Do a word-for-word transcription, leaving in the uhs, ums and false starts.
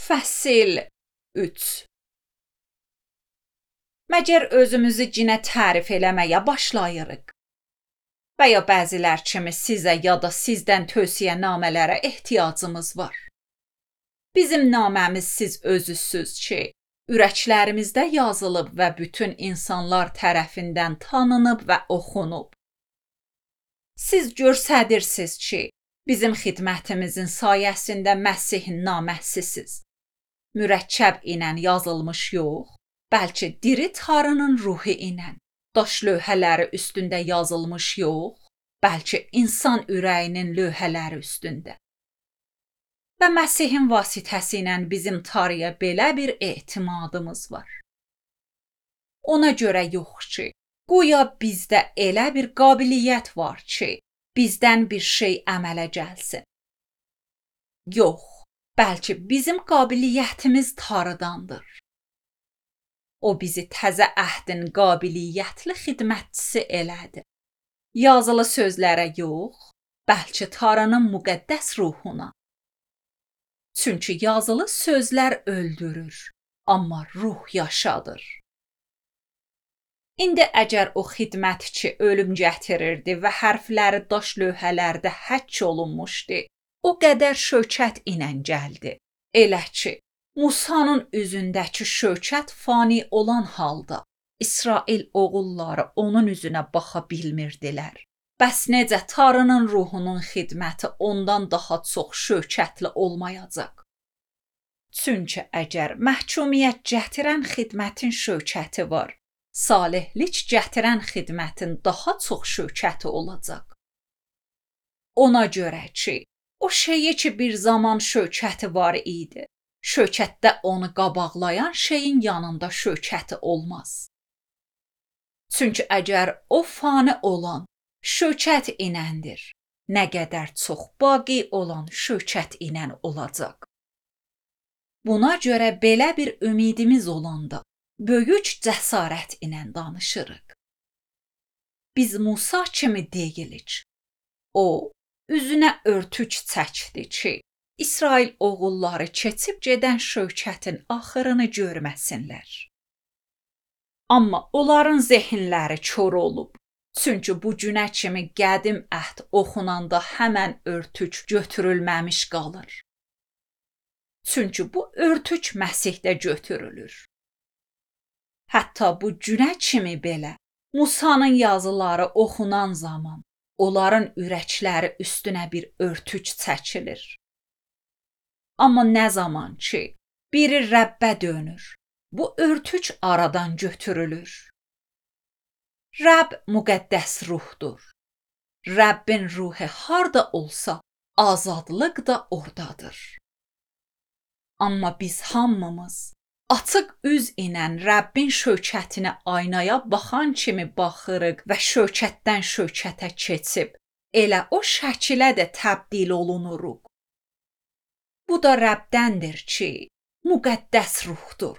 Fəsil üç. Məgər özümüzü cinə tərif eləməyə başlayırıq? Və ya bəzilər kimi sizə ya da sizdən tövsiyənamələrə ehtiyacımız var. Bizim naməmiz siz özüsüz ki, ürəklərimizdə yazılıb və bütün insanlar tərəfindən tanınıb və oxunub. Siz görsədirsiniz ki, bizim xidmətimizin sayəsində Məsihin naməsisiz. Mürəkkəb ilə yazılmış yox, bəlkə diri Tanrının ruhu ilə, daş lövhələri üstündə yazılmış yox, bəlkə insan ürəyinin lövhələri üstündə. Və Məsihin vasitəsi ilə bizim Tanrıya belə bir etimadımız var. Ona görə yox ki, qoya bizdə elə bir qabiliyyət var ki, bizdən bir şey əmələ gəlsin. Yox, bəlkə bizim qabiliyyətimiz Tanrıdandır. O bizi təzə əhdin qabiliyyətli xidmətçisi elədi. Yazılı sözlərə yox, bəlkə Tanrının müqəddəs ruhuna. Çünki yazılı sözlər öldürür, amma ruh yaşadır. İndi əgər o xidmətçi ölüm gətirirdi və hərfləri daş lövhələrdə həkk olunmuşdu, o qədər şökət ilə gəldi. Elə ki, Musanın üzündəki şökət fani olan halda, İsrail oğulları onun üzünə baxa bilmirdilər. Bəs necə Tanrının ruhunun xidməti ondan daha çox şökətli olmayacaq? Çünki əgər məhkumiyyət gətirən xidmətin şökəti var, salihlik gətirən xidmətin daha çox şökəti olacaq. Ona görə ki, o şeyi ki bir zaman şökəti var idi, şökətdə onu qabaqlayan şeyin yanında şökəti olmaz. Çünki əgər o fani olan şökət iləndir, nə qədər çox baqi olan şökət ilə olacaq. Buna görə belə bir ümidimiz olanda, böyük cəsarət ilə danışırıq. Biz Musa kimi deyilik. O, üzünə örtük çəkdi ki, İsrail oğulları keçib gedən şökətin axırını görməsinlər. Amma onların zehinləri kör olub. Çünki bu günə kimi qədim əhd oxunanda həmən örtük götürülməmiş qalır. Çünki bu örtük Məsihdə götürülür. Hətta bu günə kimi belə Musanın yazıları oxunan zaman onların ürəkləri üstünə bir örtük çəkilir. Amma nə zaman ki, biri Rəbbə dönür, bu örtük aradan götürülür. Rəbb müqəddəs ruhdur. Rəbbin ruhu harda olsa, azadlıq da oradadır. Amma biz hamımız açıq üz ilə Rəbbin şökətinə aynaya baxan kimi baxırıq və şökətdən şökətə keçib, elə o şəkilə də təbdil olunuruq. Bu da Rəbdəndir ki, müqəddəs ruhdur.